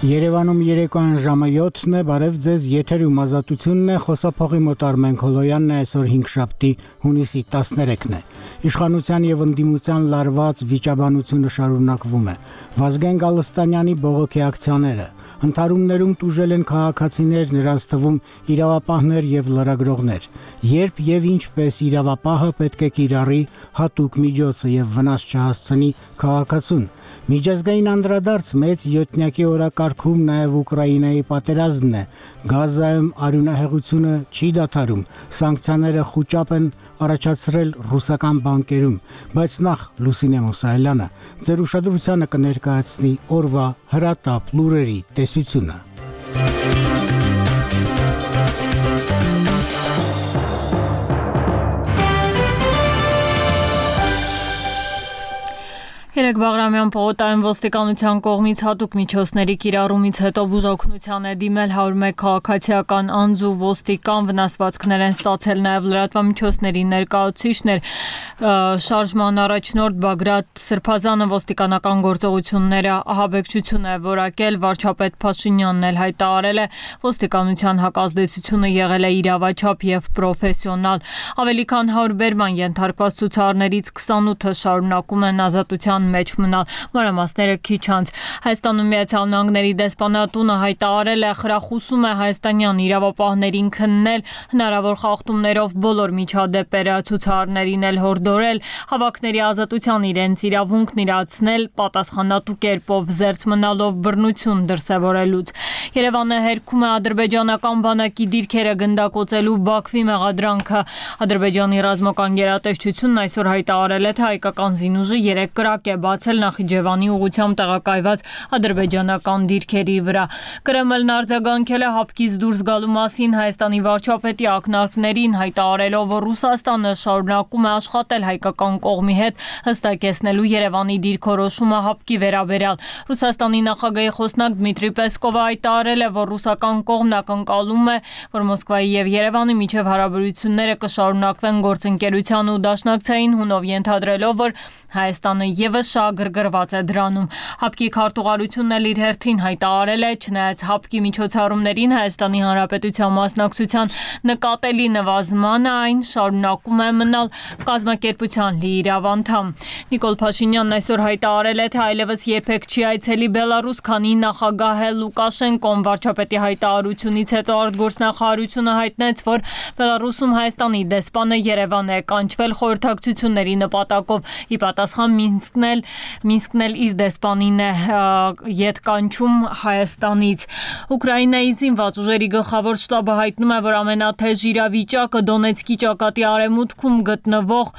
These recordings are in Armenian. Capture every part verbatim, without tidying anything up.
Երևանում երեկոյան ժամը յոթն է, բարև ձեզ, եթերում ազատությունն է, խոսափողի մոտ Արմեն Քոլոյանն է, այսօր հինգշաբթի հունիսի տասներեքն է։ Իշխանության եւ ընդդիմության լարված վիճաբանությունը շարունակվում է։ Վազգեն Գալստանյանի բողոքի ակցիաները Ընթարումներում տուժել են քաղաքացիներ, նրանց թվում իրավապահներ եւ լրագրողներ։ Երբ եւ ինչպես իրավապահը պետք է կիրառի հատուկ միջոցը եւ վնաս չհասցնի քաղաքացուն։ Միջազգային անդրադարձ մեծ յոթնյակի օրակարգում նաև Ուկրաինայի պատերազմն է։ Գազայում արյունահեղությունը չի դադարում, սանկցիաները խուճապ են առաջացրել ռուսական բանկերում, բայց նախ Լուսինե Մուսայելյանը ձեր ուշադրությանը կներկայացնի օրվա հրատապ լուրերի տեսությունը։ Երեկ Բաղրամյան պողոտայում ոստիկանության կողմից հատուկ միջոցների կիրառումից հետո բուժօգնության է դիմել հարյուր մեկ քաղաքացիական անձ ու ոստիկան, վնասվածքներ են ստացել նաև լրատվամիջոցների ներկայացուցիչներ։ Շարժման առաջնորդ Բագրատ Սրբազանը ոստիկանական գործողությունները ահաբեկչություն է որակել, վարչապետ Փաշինյանն էլ հայտարարել է, ոստիկանության հակազդեցությունը եղել է իրավաչափ եւ պրոֆեսիոնալ։ Ավելի քան հարյուր բերման ենթարկված ցուցարարներից քսանութը շարունակում են ազատության մեջ մնալ։ Մանրամասները քիչ անց Հայաստանում Միացյալ Նահանգների դեսպանատունը հայտարարել է, խրախուսում է հայաստանյան իրավապահներին քննել, հնարավոր խախտումներով բոլոր միջադեպերը ցուցարարներին էլ հորդորել, հավաքների ազատության իրենց իրավունքն իրացնել, պատասխանատու կերպով զերծ մնալով բռնություն դրսևորելուց։ Երևանը հերքում է ադրբեջանական բանակի դիրքերը գնդակոծելու Բաքվի մեղադրանքը։ Ադրբեջանի ռազմական գերատեսչությունն այսօր հայտարարել է, թե հայկական զինուժը երեք կրակ է բացել Նախիջևանի ուղղությամբ տեղակայված ադրբեջանական դիրքերի վրա։ Կրեմլն արձագանքել է հապկից դուրս գալու մասին Հայաստանի վարչապետի ակնարկներին, հայտարարելով, որ Ռուսաստանը շարունակում է աշխատել հայկական կողմի հետ հստակեցնելու Երևանի դիրքորոշումը հապկի վերաբերյալ։ Ռուսաստանի նախագահի խոսնակ Դմիտրի Պեսկովը հայտարարել է, որ ռուսական կողմն ակնկալում է, որ Մոսկվայի եւ Երևանի միջև հարաբերությունները կշարունակվեն գործընկերության ու դաշնակցային հունով, ենթադրելով, որ Հայաստանը եւս շահագրգռված է դրանում։ Հապկի քարտուղարությունն էլ իր հերթին հայտարարել է, չնայած հապկի միջոցառումներին Հայաստանի Հանրապետության մասնակցության նկատելի նվազմանը, այն շարունակում է մնալ կազմակերպության լիիրավ անդամ։ Նիկոլ Փաշինյանն այսօր հայտարարել է, թե այլևս երբեք չի այցելի Բելարուս, քանի նախագահ Լուկաշենկոն վարչապետի հայտարարությունից հետո արտգործնախարարությունը հայտնեց, որ Բելարուսում Հայաստանի դեսպանը Երևան է կանչվել խորհրդակցությունների նպատակով։ Ի պատասխան Մինսկն էլ Մինսկն էլ իր դեսպանին է ետ կանչում Հայաստանից։ Ուկրաինայի զինված ուժերի գլխավոր շտաբը հայտնում է, որ ամենաթեժ իրավիճակը Դոնեցկի ճակատի արևմուտքում գտնվող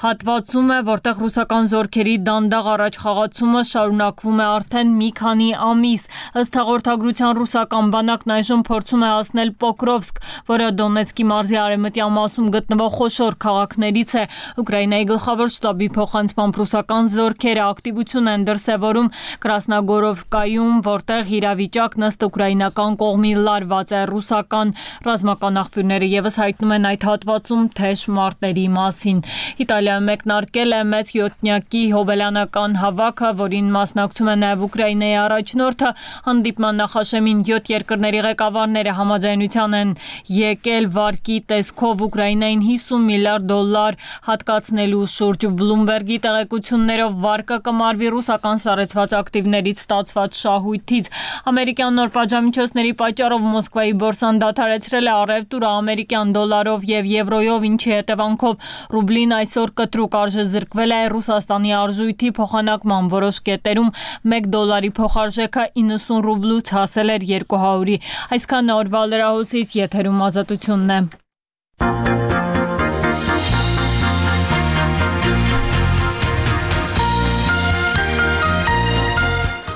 հատվածում է, որտեղ ռուսական զորքերի դանդաղ առաջխաղացումը շարունակվում է արդեն մի քանի ամիս։ Ըստ հաղորդագրության ռուսական բանակն այժմ փորձում է հասնել Պոկրովսկ, որը Դոնեցկի մարզի արևմտյան մասում գտնվող խոշոր քաղաքներից է։ Ուկրաինայի գլխավոր շտաբի փոխանցմամբ ռուսական զորքերը ակտիվություն են դրսևորում Կրասնոգորովկայում, որտեղ իրավիճակն ըստ ուկրաինական կողմի լարված է։ Ռուսական ռազմական աղբյուրները եւս հայտնում են այդ հատվածում թեժ մարտերի մասին։ Իտալիայում մեկնարկել է մեծ յոթնյակի հոբելյանական հավաքը, որին մասնակցում է նաև Ուկրաինայի առաջնորդը։ Հանդիպման նախաշեմին յոթ երկրների ղեկավարները համաձայնության են եկել վարկի տեսքով Ուկրաինային հիսուն միլիարդ դոլար հատկացնելու շուրջ։ Բլումբերգի տեղեկություններով վարկը կմարվի ռուսական սառեցված ակտիվներից ստացված շահույթից։ Ամերիկյան նոր պատժամիջոցների պատճառով Մոսկվայի բորսան դադարեցրել է առևտուրը ամերիկյան դոլարով եւ եվրոյով, ինչի հետևանքով ռուբլին այսօր կտրուկ արժեզրկվել է Ռուսաստանի արժույթի փոխանակման որոշ կետերում մեկ դոլարի փոխարժեքը իննսուն ռուբլուց հասել էր երկու հարյուրի։ Այսքան օրվա լրահոսից, եթերում ազատությունն է։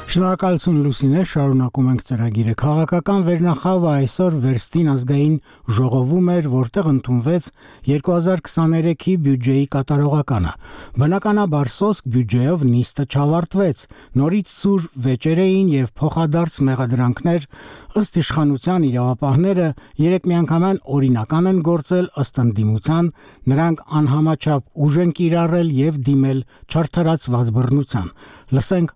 Շնորհակալություն Լուսինե, շարունակում ենք ծրագիրը։ Քաղաքական վերնախավը այսօր Վերստին ազգային ժողովում էր, որտեղ ընդունվեց երկու հազար քսաներեքի բյուջեի կատարողականը։ Բնականաբար սոսկ բյուջեով նիստը չավարտվեց, նորից սուր վեճեր էին եւ փոխադարձ մեղադրանքներ, ըստ իշխանության իրավապահները երեք միանգամայն օրինական են գործել ըստ ընդդիմության, նրանք անհամաչափ ուժ են կիրառել եւ դիմել չարթարացված բռնության։ Լսենք